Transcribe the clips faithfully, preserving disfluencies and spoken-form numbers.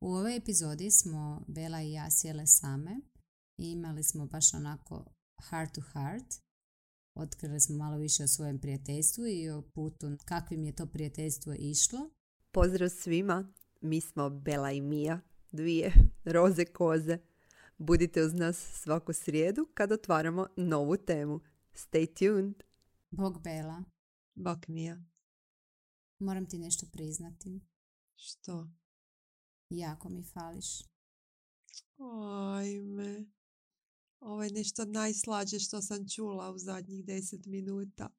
U ovoj epizodi smo Bela i ja sjele same i imali smo baš onako heart to heart. Otkrili smo malo više o svojem prijateljstvu i o putu kakvim je to prijateljstvo išlo. Pozdrav svima, mi smo Bela i Mija, dvije roze koze. Budite uz nas svaku srijedu kad otvaramo novu temu. Stay tuned. Bog Bela, Bog Mija. moram ti nešto priznati. Što? Jako mi fališ. Ajme. Ovo je nešto najslađe što sam čula u zadnjih deset minuta.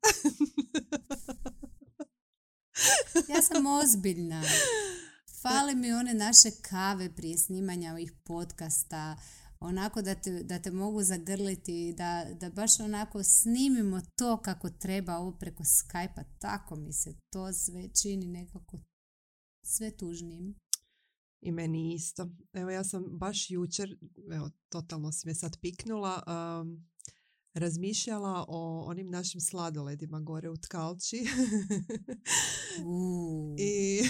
Ja sam ozbiljna. Fale mi one naše kave prije snimanja ovih podcasta. Onako da te, da te mogu zagrliti, da, da baš onako snimimo to kako treba ovo preko Skype-a. Tako mi se to sve čini nekako sve tužnijim. I meni isto. Evo ja sam baš jučer, evo totalno si me sad piknula, um, razmišljala o onim našim sladoledima gore u Tkalči. Uh. I,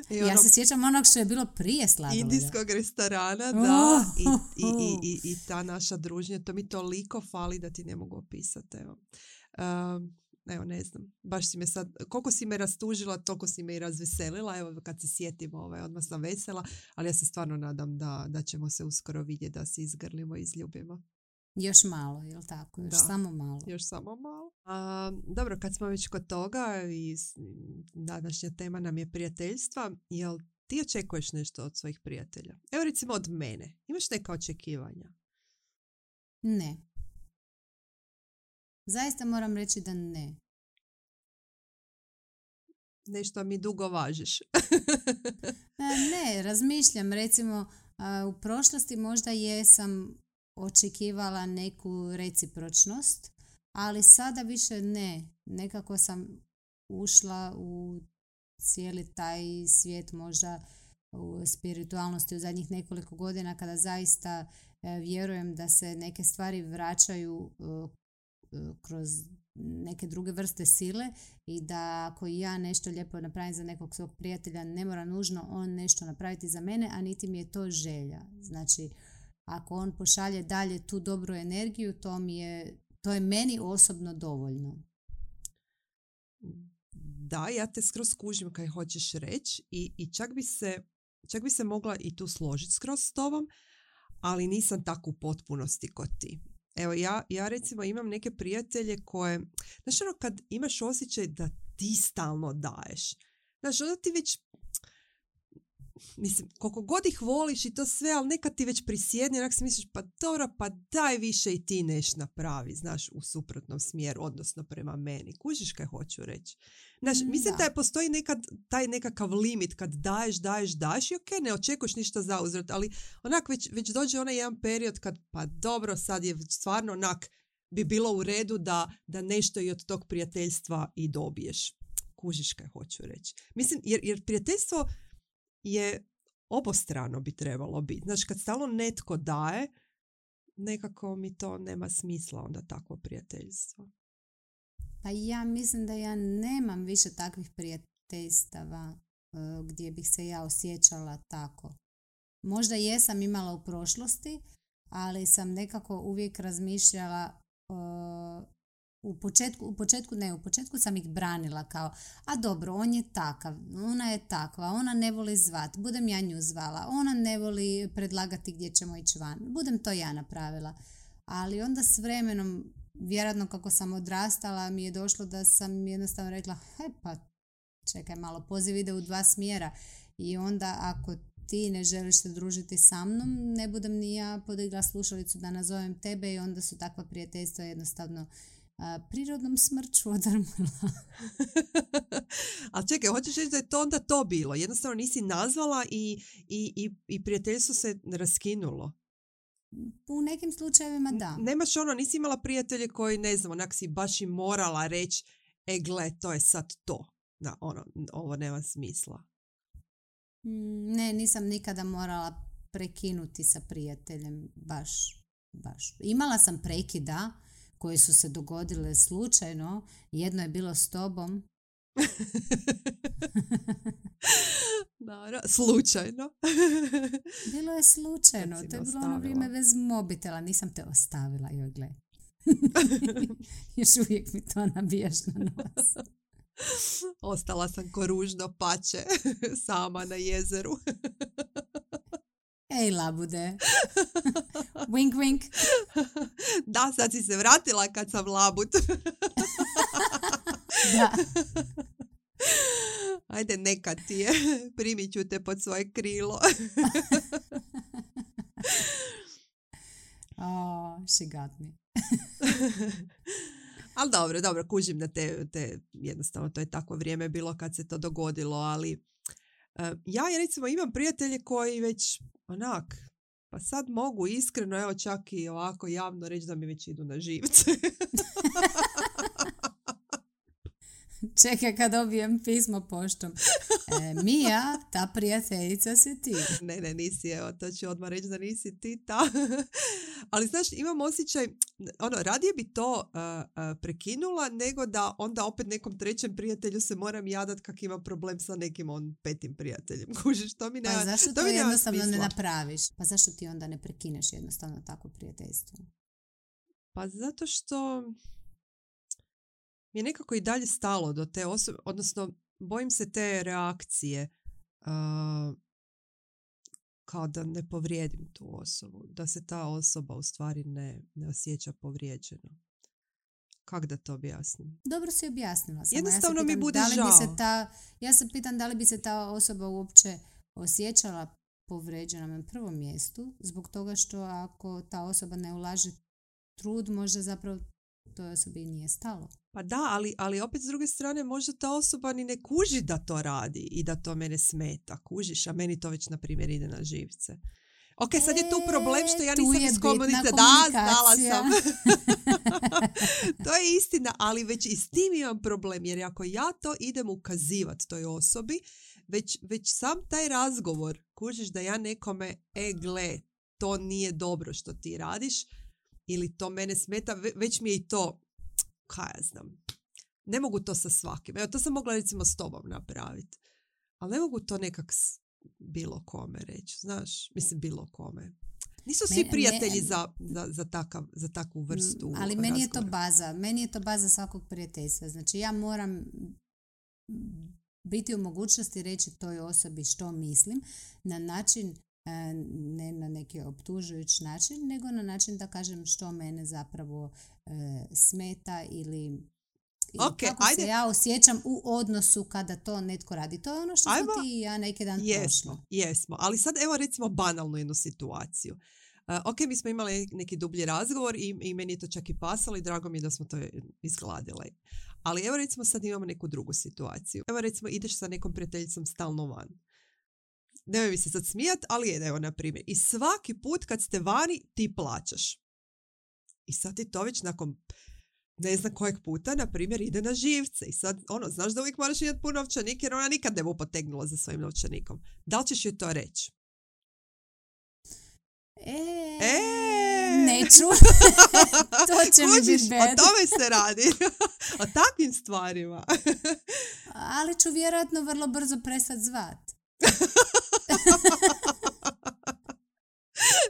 i Ja ono, se sjećam onog što je bilo prije sladoleda. indijskog restorana, Uh. da, i, i, i, i, i ta naša druženja, to mi toliko fali da ti ne mogu opisati. Evo. Um, Evo, ne znam, baš si me sad, koliko si me rastužila, toliko si me i razveselila. Evo, kad se sjetim, ovaj, odmah sam vesela, ali ja se stvarno nadam da, da ćemo se uskoro vidjeti, da se izgrlimo i izljubimo. Još malo, jel tako? Još Da. samo malo. Još samo malo. A, dobro, kad smo već kod toga i s- današnja tema nam je prijateljstva, jel ti očekuješ nešto od svojih prijatelja? Evo recimo od mene. Imaš neka očekivanja? Ne. Zaista moram reći da ne. Nešto mi dugo važiš. E, Ne, razmišljam, recimo a, u prošlosti možda jesam očekivala neku recipročnost, ali sada više ne. Nekako sam ušla u cijeli taj svijet možda u spiritualnosti u zadnjih nekoliko godina kada zaista e, vjerujem da se neke stvari vraćaju e, e, kroz neke druge vrste sile i da ako ja nešto lijepo napravim za nekog svog prijatelja, ne mora nužno on nešto napraviti za mene, a niti mi je to želja. Znači, ako on pošalje dalje tu dobru energiju, to mi je, to je meni osobno dovoljno. Da, ja te skroz kužim kaj hoćeš reći i, i čak bi se čak bi se mogla i tu složiti skroz s tobom, ali nisam tako u potpunosti kod ti. Evo, ja, ja recimo imam neke prijatelje koje, znaš ono kad imaš osjećaj da ti stalno daješ. Znaš, onda ti već, mislim, koliko god ih voliš i to sve, ali nekad ti već prisjedne, onak si misliš, pa dobro, pa daj više i ti neš napravi, znaš, u suprotnom smjeru, odnosno prema meni. Kužiš kaj hoću reći? Znaš, Mm, mislim da. da je postoji nekad taj nekakav limit kad daješ, daješ, daješ i ok, ne očekuješ ništa za uzvrat, ali onak već, već dođe onaj jedan period kad, pa dobro, sad je već stvarno onak bi bilo u redu da, da nešto i od tog prijateljstva i dobiješ. Kužiš kaj hoću reći. Mislim, jer, jer prijateljstvo je obostrano bi trebalo biti. Znači, kad stalno netko daje, nekako mi to nema smisla onda takvo prijateljstvo. Pa ja mislim da ja nemam više takvih prijateljstava e, gdje bih se ja osjećala tako. Možda jesam imala u prošlosti, ali sam nekako uvijek razmišljala e, u početku, u početku ne, u početku sam ih branila kao, a dobro, on je takav, ona je takva, ona ne voli zvat, budem ja nju zvala, ona ne voli predlagati gdje ćemo ići van, budem to ja napravila. Ali onda s vremenom, vjerojatno kako sam odrastala, mi je došlo da sam jednostavno rekla, he pa čekaj malo, poziv ide u dva smjera i onda ako ti ne želiš se družiti sa mnom, ne budem ni ja podigla slušalicu da nazovem tebe i onda su takva prijateljstva jednostavno a, prirodnom smrću odrmila. Ali čekaj, hoćeš reći da je to onda to bilo? Jednostavno nisi nazvala i, i, i, i prijateljstvo se raskinulo. U nekim slučajevima da. Nemaš ono, nisi imala prijatelje koji, ne znam, onak si baš i morala reći, e gle, to je sad to. Da, ono, ovo nema smisla. Mm, Ne, nisam nikada morala prekinuti sa prijateljem, baš, baš. Imala sam prekida koji su se dogodile slučajno, jedno je bilo s tobom, Naravno, slučajno. Bilo je slučajno. Kad si To je me bilo ono ostavila. vrijeme bez mobitela. Nisam te ostavila, joj gle. Još uvijek mi to nabijaš na nos. Ostala sam ko ružno pače sama na jezeru. Ej, labude. Wink, wink. Da, sad si se vratila kad sam labud. Da. Ajde, neka ti je. Primit ću te pod svoje krilo. Oh, she got me. Ali dobro, dobro, kužim da te, te, jednostavno to je takvo vrijeme bilo kad se to dogodilo, ali uh, ja recimo imam prijatelje koji već onak, pa sad mogu iskreno, evo čak i ovako javno reći da mi već idu na živce. Čekaj kad dobijem pismo poštom. E, Mija, ta prijateljica si ti. Ne, ne, nisi, evo, to ću odmah reći da nisi ti ta. Ali znaš, imam osjećaj, ono, radije bi to uh, uh, prekinula, nego da onda opet nekom trećem prijatelju se moram jadat kak ima problem sa nekim on petim prijateljem. Kužiš, to mi ne Pa zašto to, to mi nema jednostavno smisla. ne napraviš? Pa zašto ti onda ne prekineš jednostavno takvo prijateljstvo? Pa zato što mi je nekako i dalje stalo do te osobe, odnosno bojim se te reakcije uh, kao da ne povrijedim tu osobu, da se ta osoba u stvari ne, ne osjeća povrijeđeno. Kako da to objasnim? Dobro si objasnila. Samo Jednostavno ja se mi pitam, bude da li bi žao. se ta, ja se pitam da li bi se ta osoba uopće osjećala povrijeđena na prvom mjestu, zbog toga što ako ta osoba ne ulaže trud, možda zapravo toj osobi nije stalo. Pa da, ali, ali opet s druge strane možda ta osoba ni ne kuži da to radi i da to mene smeta, kužiš, a meni to već na primjer ide na živce. Ok, sad je tu problem što ja E, tu nisam je iz bitna komunice. Da, znala komunikacija. sam. To je istina, ali već i s tim imam problem, jer ako ja to idem ukazivati toj osobi, već, već sam taj razgovor, kužiš da ja nekome, e gle, to nije dobro što ti radiš, ili to mene smeta, ve- već mi je i to, kaj ja znam, ne mogu to sa svakim. Evo, to sam mogla recimo s tobom napraviti. Ali ne mogu to nekak s bilo kome reći, znaš, mislim bilo kome. Nisu svi Me- prijatelji me- za, za, za, takav, za takvu vrstu Mm, Ali meni je to razgovora. baza. Meni je to baza svakog prijateljstva. Znači ja moram biti u mogućnosti reći toj osobi što mislim na način, e, ne na neki optužujući način, nego na način da kažem što mene zapravo e, smeta ili, ili Ok, kako ajde. se ja osjećam u odnosu kada to netko radi. To je ono što Ajmo. smo ti i ja neki dan Jesmo, prošli. jesmo. Ali sad evo recimo banalnu jednu situaciju. Uh, ok, mi smo imali neki dublji razgovor i, i meni je to čak i pasalo i drago mi je da smo to izgladile. Ali evo recimo sad imamo neku drugu situaciju. Evo recimo ideš sa nekom prijateljicom stalno van. Nemoj mi se sad smijat, ali evo na primjer. I svaki put kad ste vani ti plaćaš. I sad ti to već nakon ne znam kojeg puta, na primjer, ide na živce. I sad, ono, znaš da uvijek moraš imati pun novčanik jer ona nikad ne bu potegnula za svojim novčanikom. Da li ćeš joj to reći? E, E! neću. To će mi Kužiš, biti o bad. tome se radi. O takvim stvarima. Ali ću vjerojatno vrlo brzo prestati zvat.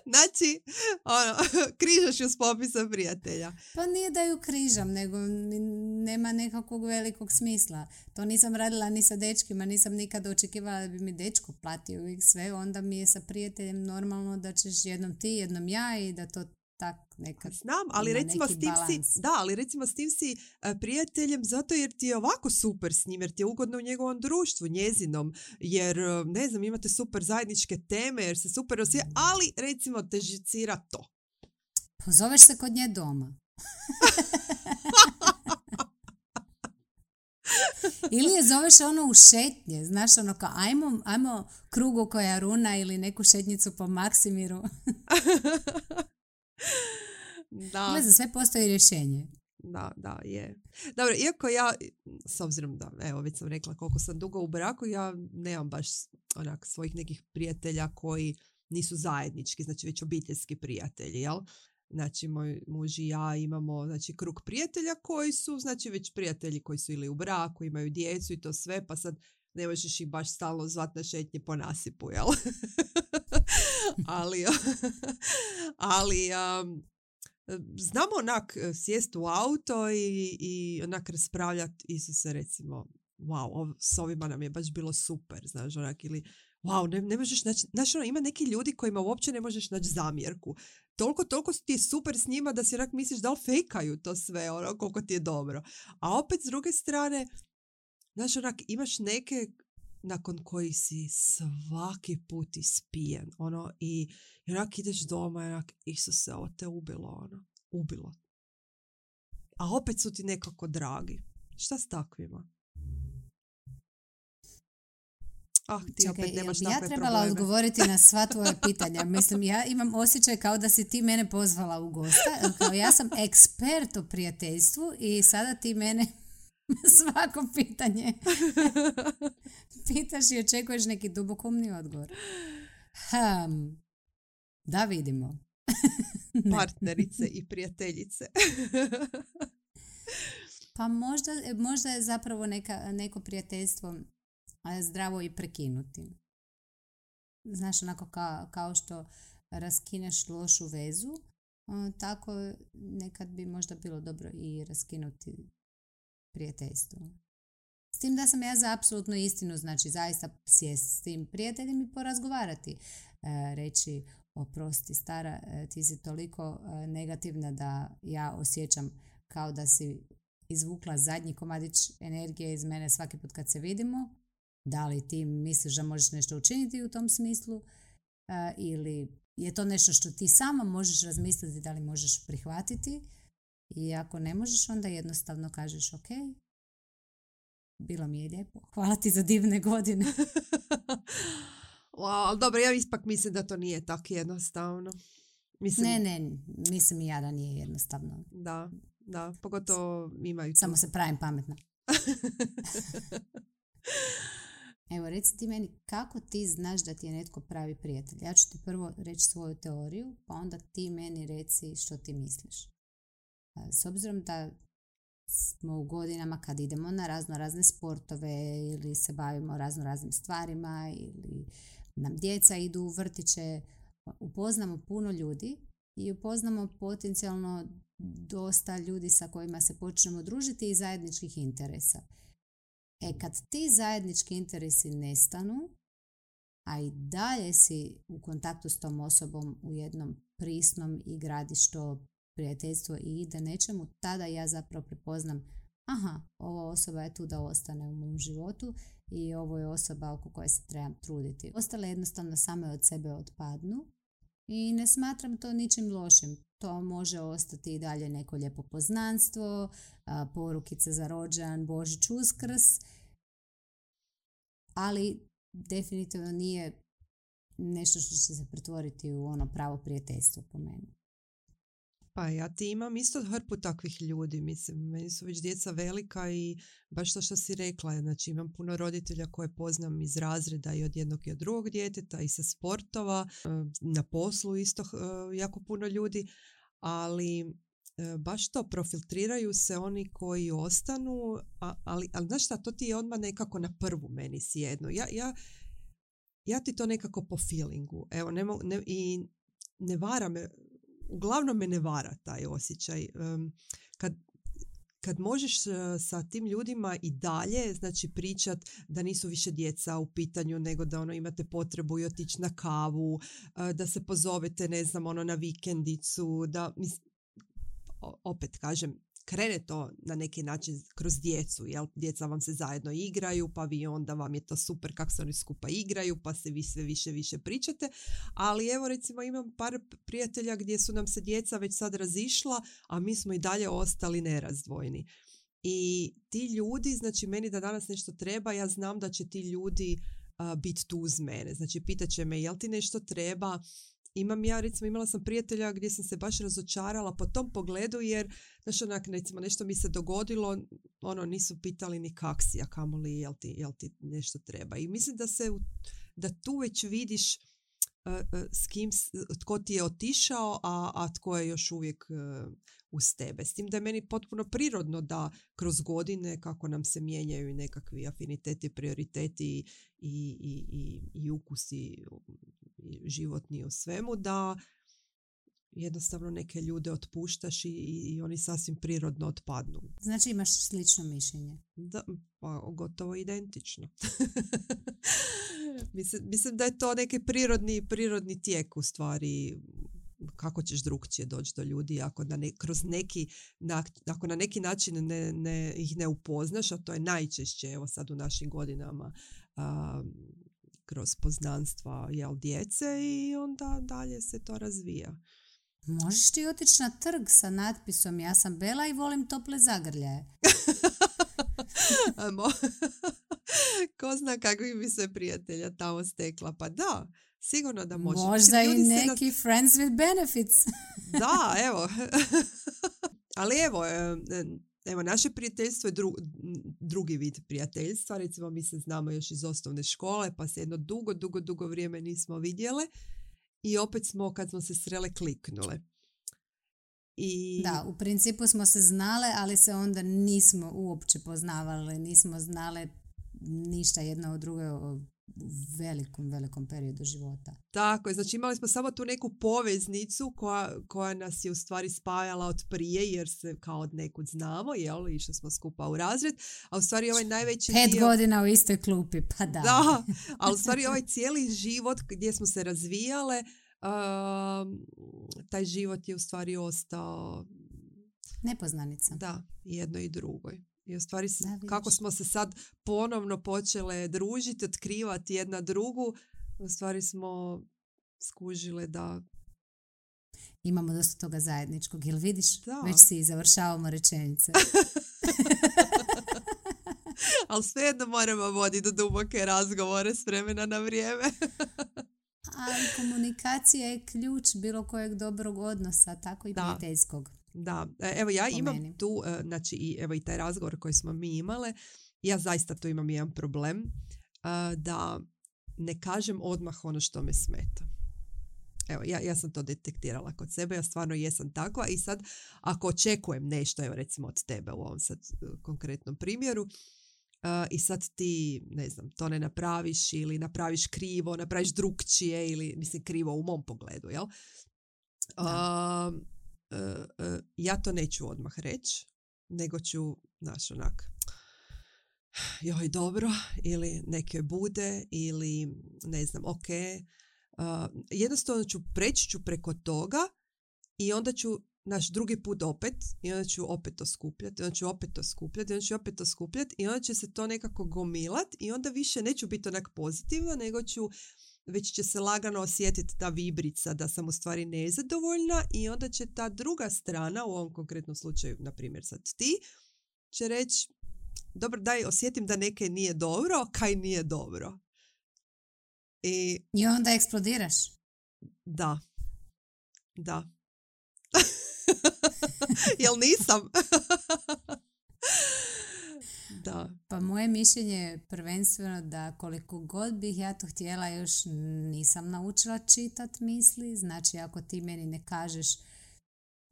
Znači, ono, križaš ju s popisa prijatelja. Pa nije da ju križam, nego ni- nema nekakvog velikog smisla. To nisam radila ni sa dečkima, nisam nikad očekivala da bi mi dečko platio uvijek sve. Onda mi je sa prijateljem normalno da ćeš jednom ti, jednom ja i da to tak nekad Znam, ali ima recimo neki s tim balans. si, da, ali recimo s tim si e, prijateljem zato jer ti je ovako super s njim, jer ti je ugodno u njegovom društvu, njezinom, jer, e, ne znam, imate super zajedničke teme, jer se super osjeća, ali recimo te žicira to. Pozoveš se kod nje doma. Ili je zoveš ono u šetnje, znaš, ono kao ajmo, ajmo krugu koja runa ili neku šetnicu po Maksimiru. Da. Ne, za sve postoji rješenje. Da, da, je. Dobro, iako ja, s obzirom da, evo, već sam rekla koliko sam dugo u braku, ja nemam baš onak svojih nekih prijatelja koji nisu zajednički, znači već obiteljski prijatelji, jel? Znači, moj muž i ja imamo znači, krug prijatelja koji su, znači već prijatelji koji su ili u braku, imaju djecu i to sve, pa sad ne možeš ih baš stalno zvat na šetnje po nasipu, jel? ali, ali um, znamo onak sjest u auto i, i onak raspravljati, Isuse, recimo, wow, ov, s ovima nam je baš bilo super, znaš, onak, ili wow, ne, ne možeš naći, znaš, ono, ima neki ljudi kojima uopće ne možeš naći zamjerku. Toliko, toliko ti je super s njima da si onak misliš da li fejkaju to sve, ono, koliko ti je dobro. A opet, s druge strane, znaš, onak, imaš neke nakon koji si svaki put ispijen, ono, i, i onak ideš doma i onak, Isuse, ovo te ubilo, ono, ubilo. A opet su ti nekako dragi. Šta s takvima? Ah, ti Čekaj, opet nemaš ja takve trebala probleme. odgovoriti na sva tvoja pitanja. Mislim, ja imam osjećaj kao da si ti mene pozvala u gosta. Kao ja sam ekspert o prijateljstvu i sada ti mene svako pitanje pitaš i očekuješ neki dubokomni odgovor. Hmm. Da vidimo. Partnerice i prijateljice. Pa možda, možda je zapravo neka, neko prijateljstvo zdravo i prekinuti. Znaš, onako kao, kao što raskineš lošu vezu, tako nekad bi možda bilo dobro i raskinuti prijateljstvo. S tim da sam ja za apsolutnu istinu, znači zaista sjest s tim prijateljem i porazgovarati. E, reći, oprosti stara, ti si toliko negativna da ja osjećam kao da si izvukla zadnji komadić energije iz mene svaki put kad se vidimo. Da li ti misliš da možeš nešto učiniti u tom smislu uh, ili je to nešto što ti sama možeš razmisliti da li možeš prihvatiti i ako ne možeš onda jednostavno kažeš ok, bilo mi je lijepo, hvala ti za divne godine. Wow, ali dobro, ja ispak mislim da to nije tako jednostavno. Mislim, ne, ne, mislim i ja da nije jednostavno. Da, da, pogotovo imaju... Samo se pravim pametna. Evo, reci ti meni, kako ti znaš da ti je netko pravi prijatelj? Ja ću ti prvo reći svoju teoriju, pa onda ti meni reci što ti misliš. S obzirom da smo u godinama kad idemo na razno razne sportove ili se bavimo razno raznim stvarima ili nam djeca idu u vrtiće, upoznamo puno ljudi i upoznamo potencijalno dosta ljudi sa kojima se počnemo družiti i zajedničkih interesa. E, kad ti zajednički interesi nestanu, a i dalje si u kontaktu s tom osobom u jednom prisnom i gradiš to prijateljstvo i ide nečemu, tada ja zapravo prepoznam, aha, ova osoba je tu da ostane u mom životu i ovo je osoba oko koje se trebam truditi. Ostale jednostavno same od sebe otpadnu i ne smatram to ničim lošim. To može ostati i dalje neko lijepo poznanstvo, porukice za rođendan, Božić, Uskrs, ali definitivno nije nešto što će se pretvoriti u ono pravo prijateljstvo po meni. Pa ja ti imam isto hrpu takvih ljudi, mislim, meni su već djeca velika i baš to što si rekla, znači imam puno roditelja koje poznam iz razreda i od jednog i od drugog djeteta i sa sportova, na poslu isto jako puno ljudi, ali baš to, profiltriraju se oni koji ostanu, ali, ali znaš šta, to ti je odmah nekako na prvu meni sjedno. Ja, ja, ja ti to nekako po feelingu, evo, ne, ne, i ne vara me, uglavnom me ne vara taj osjećaj. Um, kad, kad možeš uh, sa tim ljudima i dalje, znači pričat da nisu više djeca u pitanju, nego da ono imate potrebu i otići na kavu, uh, da se pozovete, ne znam, ono na vikendicu, da, mis, opet kažem, krene to na neki način kroz djecu, jel? Djeca vam se zajedno igraju, pa vi onda vam je to super kako se oni skupa igraju, pa se vi sve više više pričate, ali evo recimo imam par prijatelja gdje su nam se djeca već sad razišla, a mi smo i dalje ostali nerazdvojni. I ti ljudi, znači meni da danas nešto treba, ja znam da će ti ljudi uh, biti tu uz mene, znači pitat će me jel ti nešto treba. Imam ja, recimo, imala sam prijatelja gdje sam se baš razočarala po tom pogledu jer, znaš, onak, recimo, nešto mi se dogodilo, ono, nisu pitali ni kak si, a kamoli jel ti, jel ti nešto treba. I mislim da se, da tu već vidiš s kim, tko ti je otišao, a, a tko je još uvijek uz tebe. S tim da je meni potpuno prirodno da kroz godine, kako nam se mijenjaju nekakvi afiniteti, prioriteti i, i, i, i ukusi i životni u svemu, da jednostavno neke ljude otpuštaš i, i oni sasvim prirodno otpadnu. Znači imaš slično mišljenje? Da, pa gotovo identično. mislim, mislim da je to neki prirodni, prirodni tijek u stvari. Kako ćeš drugčije doći do ljudi ako na, ne, kroz neki, na, ako na neki način ne, ne, ih ne upoznaš, a to je najčešće evo sad u našim godinama a, kroz poznanstva jel, djece i onda dalje se to razvija. Možeš ti otići na trg sa natpisom ja sam Bela i volim tople zagrljaje. Ko zna kakvih bi se prijatelja tamo stekla. Pa da, sigurno da može. Možda i neki nas... friends with benefits. Da, evo. Ali evo, evo, naše prijateljstvo je dru, drugi vid prijateljstva. Recimo, mi se znamo još iz osnovne škole, pa se jedno dugo, dugo, dugo vrijeme nismo vidjele. I opet smo, kad smo se srele, kliknule. I... Da, u principu smo se znale, ali se onda nismo uopće poznavale, nismo znale ništa jedna od druge u velikom, velikom periodu života. Tako je, znači imali smo samo tu neku poveznicu koja, koja nas je u stvari spajala od prije, jer se kao od nekud znamo, jel, išli smo skupa u razred, a u stvari ovaj najveći Pet dio... godina u istoj klupi, pa da. Da, ali u stvari ovaj cijeli život gdje smo se razvijale, uh, taj život je u stvari ostao... Nepoznanica. Da, jedno i drugoj. I u stvari da, kako smo se sad ponovno počele družiti, otkrivati jedna drugu, u stvari smo skužile da... Imamo dosta toga zajedničkog, jel vidiš? Da. Već si završavamo rečenice. Ali svejedno moramo voditi do duboke razgovore s vremena na vrijeme. Ali komunikacija je ključ bilo kojeg dobrog odnosa, tako i prijateljskog. Da, evo ja imam tu, znači i, evo i taj razgovor koji smo mi imale, ja zaista tu imam jedan problem, da ne kažem odmah ono što me smeta. Evo, ja, ja sam to detektirala kod sebe, ja stvarno jesam takva i sad ako očekujem nešto, evo recimo od tebe u ovom sad konkretnom primjeru, Uh, i sad ti, ne znam, to ne napraviš ili napraviš krivo, napraviš drukčije ili, mislim, krivo u mom pogledu, jel? Uh, uh, uh, ja to neću odmah reći, nego ću, znaš, onak, joj, dobro, ili neke bude, ili, ne znam, ok. Uh, jednostavno ću preći ću preko toga i onda ću naš drugi put opet i onda ću opet to skupljati, onda ću opet to skupljati, onda ću opet to skupljati i onda će se to nekako gomilati i onda više neću biti onak pozitivno, nego ću, već će se lagano osjetiti ta vibrica da sam u stvari nezadovoljna i onda će ta druga strana, u ovom konkretnom slučaju, na primjer sad ti, će reći, dobro, daj, osjetim da neke nije dobro, kaj nije dobro. I, I onda eksplodiraš. Da. Da. Jel nisam? Da. Pa moje mišljenje je prvenstveno da koliko god bih ja to htjela, još nisam naučila čitat misli. Znači ako ti meni ne kažeš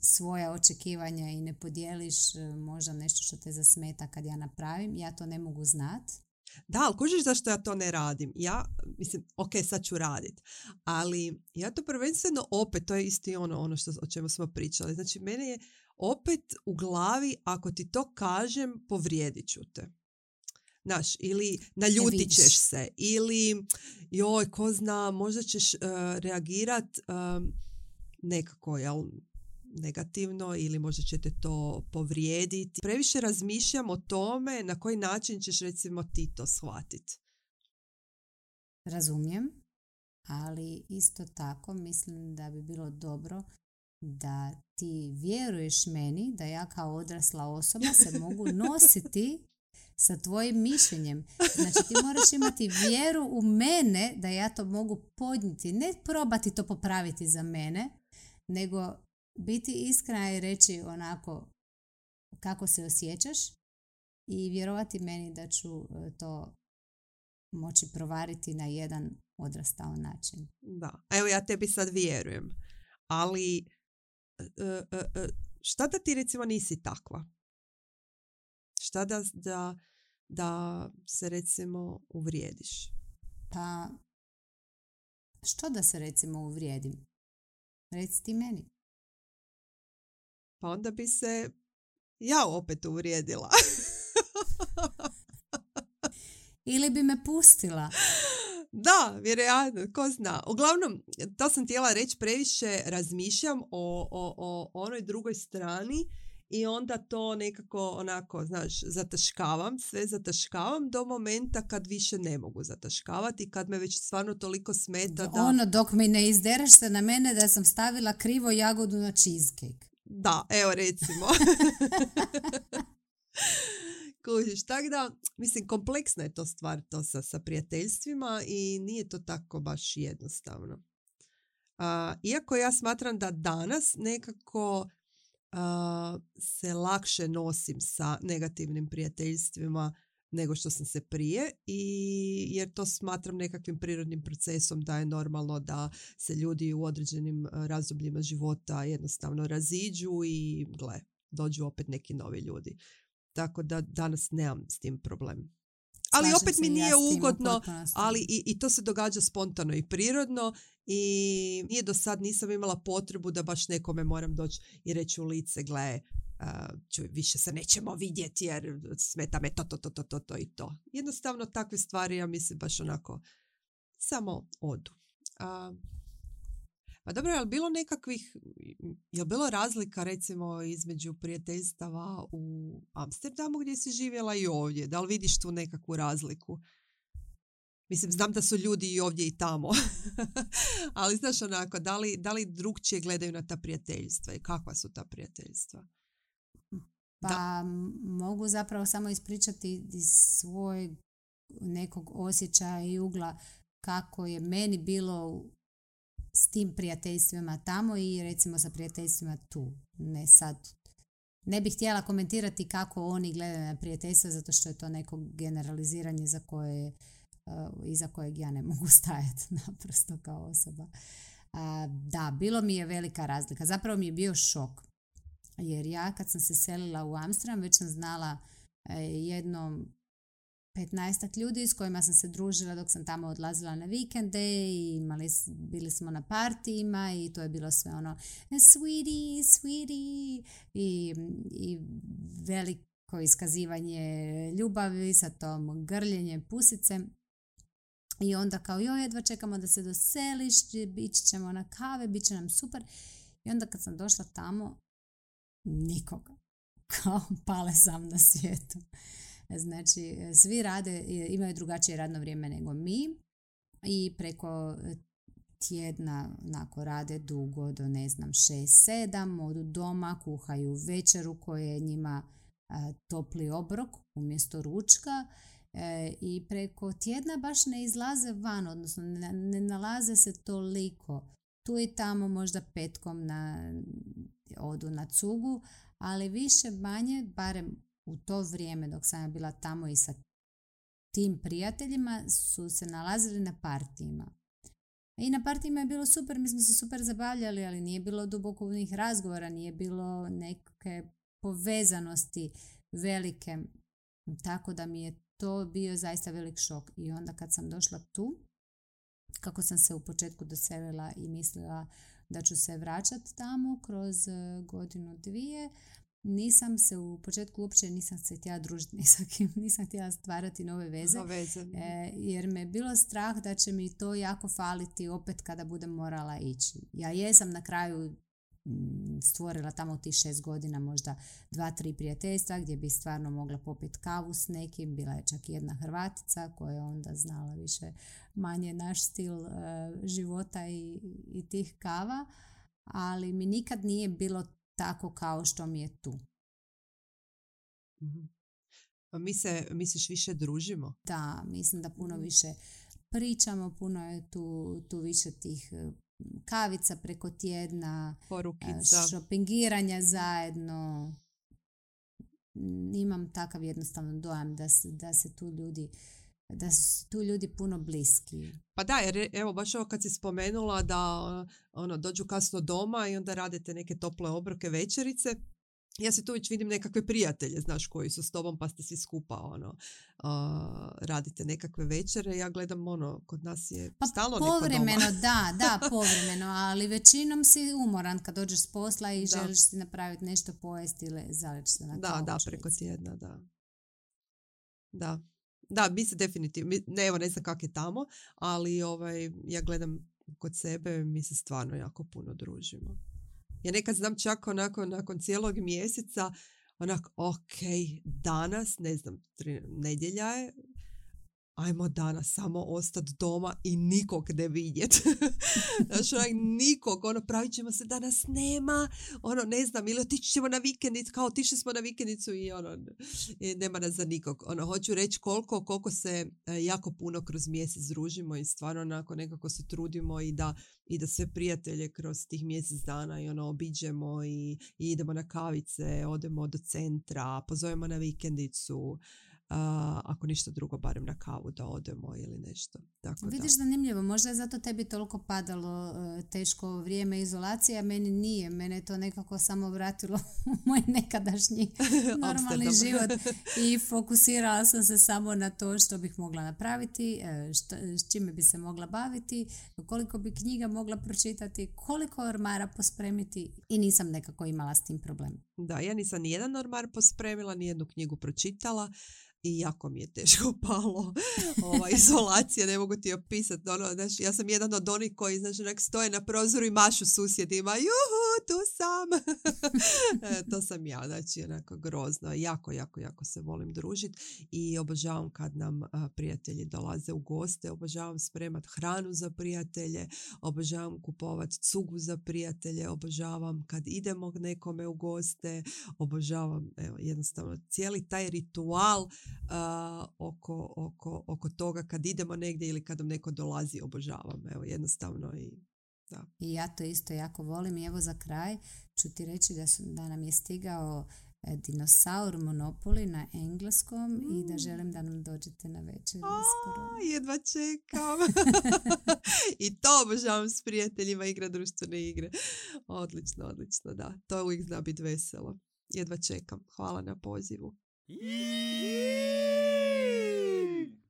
svoja očekivanja i ne podijeliš možda nešto što te zasmeta kad ja napravim, ja to ne mogu znat. Da, ali kužiš zašto ja to ne radim? Ja, mislim, ok, sad ću radit. Ali ja to prvenstveno opet, to je isti ono, ono što, o čemu smo pričali. Znači, mene je opet u glavi, ako ti to kažem, povrijedit ću te. Znaš, ili naljutit ćeš se. Ili, joj, ko zna, možda ćeš uh, reagirat um, nekako, jel, negativno ili možda će te to povrijediti. Previše razmišljam o tome na koji način ćeš recimo ti to shvatiti. Razumijem, ali isto tako mislim da bi bilo dobro da ti vjeruješ meni da ja kao odrasla osoba se mogu nositi sa tvojim mišljenjem. Znači ti moraš imati vjeru u mene da ja to mogu podnijeti. Ne probati to popraviti za mene, nego biti iskrena i reći onako kako se osjećaš i vjerovati meni da ću to moći provariti na jedan odrastao način. Da, evo ja tebi sad vjerujem, ali e, e, e, šta da ti recimo nisi takva? Šta da, da, da se recimo uvrijediš? Pa, što da se recimo uvrijedim? Reci ti meni. Pa onda bi se ja opet uvrijedila. Ili bi me pustila. Da, vjerojatno, ko zna. Uglavnom, to sam htjela reći, previše razmišljam o, o, o onoj drugoj strani i onda to nekako onako, znaš, zataškavam, sve zataškavam do momenta kad više ne mogu zataškavati i kad me već stvarno toliko smeta da... Ono, dok mi ne izdereš se na mene da sam stavila krivo jagodu na cheesecake. Da, evo recimo. Kužiš, tako da, mislim, kompleksna je to stvar to sa, sa prijateljstvima i nije to tako baš jednostavno. A, iako ja smatram da danas nekako a, se lakše nosim sa negativnim prijateljstvima nego što sam se prije, i jer to smatram nekakvim prirodnim procesom da je normalno da se ljudi u određenim razdobljima života jednostavno raziđu i gle, dođu opet neki novi ljudi. Tako da danas nemam s tim problem. Ali Slažem opet mi se nije ja s tim u ugodno, potpunosti. ali i, i to se događa spontano i prirodno i nije do sad nisam imala potrebu da baš nekome moram doći i reći u lice, gle, uh, čuj, više se nećemo vidjeti jer smeta me to, to, to, to, to, to i to. Jednostavno takve stvari, ja mislim, baš onako samo odu. Uh, Pa dobro, je li bilo nekakvih, je li bilo razlika recimo između prijateljstava u Amsterdamu gdje si živjela i ovdje? Da li vidiš tu nekakvu razliku? Mislim, znam da su ljudi i ovdje i tamo. Ali znaš onako, da li, da li drugčije gledaju na ta prijateljstva i kakva su ta prijateljstva? Pa Da. mogu zapravo samo ispričati iz svojeg nekog osjećaja i ugla kako je meni bilo s tim prijateljstvima tamo i recimo sa prijateljstvima tu. Ne sad. Ne bih htjela komentirati kako oni gledaju na prijateljstva zato što je to neko generaliziranje za koje, uh, iza kojeg ja ne mogu stajati naprosto kao osoba. Uh, da, bilo mi je velika razlika. Zapravo mi je bio šok. Jer ja kad sam se selila u Amsterdam već sam znala uh, jedno petnaestak ljudi s kojima sam se družila dok sam tamo odlazila na vikende i imali, bili smo na partijima i to je bilo sve ono sweetie, sweetie i, i veliko iskazivanje ljubavi sa tom grljenjem pusice. I onda kao joj, jedva čekamo da se doseliš, ići ćemo na kave, bit će nam super. I onda kad sam došla tamo, nikoga. Kao pale sam na svijetu. Znači, svi rade, imaju drugačije radno vrijeme nego mi i preko tjedna onako rade dugo do ne znam šest sedam, odu doma, kuhaju večeru koja je njima a, topli obrok umjesto ručka e, i preko tjedna baš ne izlaze van, odnosno ne, ne nalaze se toliko. Tu i tamo možda petkom na, odu na cugu, ali više manje, barem u to vrijeme dok sam ja bila tamo i sa tim prijateljima su se nalazili na partijima. I na partijima je bilo super, mi smo se super zabavljali, ali nije bilo dubokovnih razgovora, nije bilo neke povezanosti velike. Tako da mi je to bio zaista velik šok. I onda kad sam došla tu, kako sam se u početku doselila i mislila da ću se vraćati tamo kroz godinu dvije, nisam se u početku uopće nisam se htjela družiti ni sa kim, nisam htjela stvarati nove veze, veze. E, jer me je bilo strah da će mi to jako faliti opet kada budem morala ići. Ja jesam na kraju m, stvorila tamo u tih šest godina možda dva, tri prijateljstva gdje bi stvarno mogla popiti kavu s nekim, bila je čak i jedna Hrvatica koja je onda znala više manje naš stil e, života i, i tih kava, ali mi nikad nije bilo tako kao što mi je tu. Mm-hmm. A mi se, misliš, više družimo? Da, mislim da puno više pričamo, puno je tu, tu više tih kavica preko tjedna, porukica, šopingiranja zajedno. Imam takav jednostavno dojam da se, da se tu ljudi da su tu ljudi puno bliski. Pa da, jer evo baš ovo kad si spomenula da ono, dođu kasno doma i onda radite neke tople obroke, večerice, ja se tu već vidim nekakve prijatelje, znaš, koji su s tobom pa ste svi skupa, ono, uh, radite nekakve večere. Ja gledam, ono, kod nas je pa stalno neko doma. Povremeno, da, da, povremeno, ali većinom si umoran kad dođeš s posla i da. želiš si napraviti nešto pojesti ili zaleći se na da, kauč. Da, preko tjedna, da. Da, da, mi se definitivno, mi, ne, evo, ne znam kak je tamo, ali ovaj, ja gledam kod sebe, mi se stvarno jako puno družimo. Ja nekad znam čak onako nakon cijelog mjeseca, onako, ok, danas, ne znam, tri, nedjelja je, ajmo danas samo ostati doma i nikog ne vidjeti. Znači, onak, nikog, ono, pravit ćemo se da nas nema, ono, ne znam, ili otići ćemo na vikendicu, kao otišli smo na vikendicu i ono, i nema nas za nikog. Ono, hoću reći koliko, koliko se jako puno kroz mjesec družimo i stvarno onako nekako se trudimo i da, i da sve prijatelje kroz tih mjesec dana i ono, obiđemo i, i idemo na kavice, odemo do centra, pozovemo na vikendicu, Uh, ako ništa drugo, barem na kavu da odemo ili nešto. Tako Vidiš, da. Zanimljivo, možda je zato tebi toliko padalo uh, teško vrijeme izolacije, a meni nije. Mene je to nekako samo vratilo u moj nekadašnji normalni život i fokusirala sam se samo na to što bih mogla napraviti, što, s čime bi se mogla baviti, koliko bi knjiga mogla pročitati, koliko ormara pospremiti i nisam nekako imala s tim problem. Da, ja nisam ni jedan ormar pospremila, ni jednu knjigu pročitala. I jako mi je teško palo ova izolacija, ne mogu ti opisati. Ono, znaš, ja sam jedan od onih koji, znaš, nek stoje na prozoru i mašu susjedima. Juhu, tu sam! e, to sam ja, znači, onako grozno. Jako, jako, jako se volim družiti i obožavam kad nam a, prijatelji dolaze u goste, obožavam spremat hranu za prijatelje, obožavam kupovati cugu za prijatelje, obožavam kad idemo nekome u goste, obožavam, evo, jednostavno, cijeli taj ritual Uh, oko, oko, oko toga kad idemo negdje ili kad nam neko dolazi, obožavam. Evo, jednostavno i da. I ja to isto jako volim i evo za kraj ću ti reći da, su, da nam je stigao e, dinosaur Monopoly na engleskom mm. i da želim da nam dođete na večer. A, jedva čekam. I to obožavam s prijateljima, igra društvene igre. Odlično, odlično, da. To uvijek zna biti veselo. Jedva čekam. Hvala na pozivu.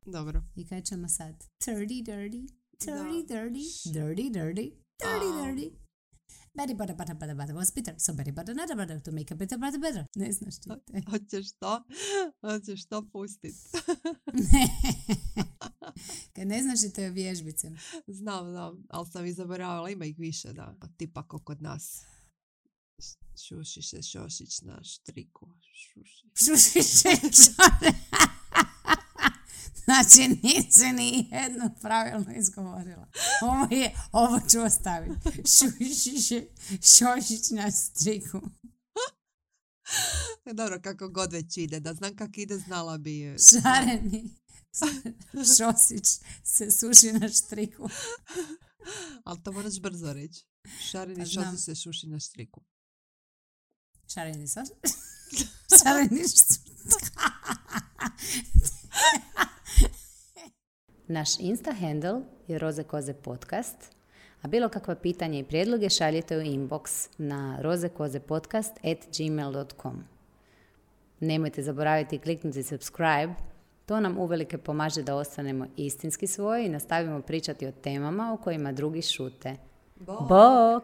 Dobro. I kaj ćemo sad? Dirty, dirty, dirty, dirty, dirty, dirty, dirty, dirty. Betty butter, butter, butter, butter was bitter. So Betty butter, butter, butter to make a bitter, butter, better. Ne znaš ti te. Hoćeš to? Hoćeš to pustiti? Ne. Kad ne znaš i to je vježbice. Znam, znam, ali sam i zaboravila. Ima ih više, da. Tipa ko kod nas. Šuši se Šošić na štriku. Šuši. Šuši se Šošić. Znači, nisi ni jedno pravilno izgovorila. Ovo je, ovo ću ostaviti. Šuši se Šošić na striku. Dobro, kako god već ide. Da znam kako ide, znala bi. Šareni Šosić se suši na štriku. Ali to moraš brzo reći. Šareni Šosić se suši na štriku. Šareni Šosić? Šareni Šosić. Naš Insta handle je Roze Koze podcast, a bilo kakva pitanja i prijedloge šaljite u inbox na rozekozepodcast at gmail dot com. Nemojte zaboraviti kliknuti subscribe, to nam uvelike pomaže da ostanemo istinski svoji i nastavimo pričati o temama o kojima drugi šute. Bok! Bok!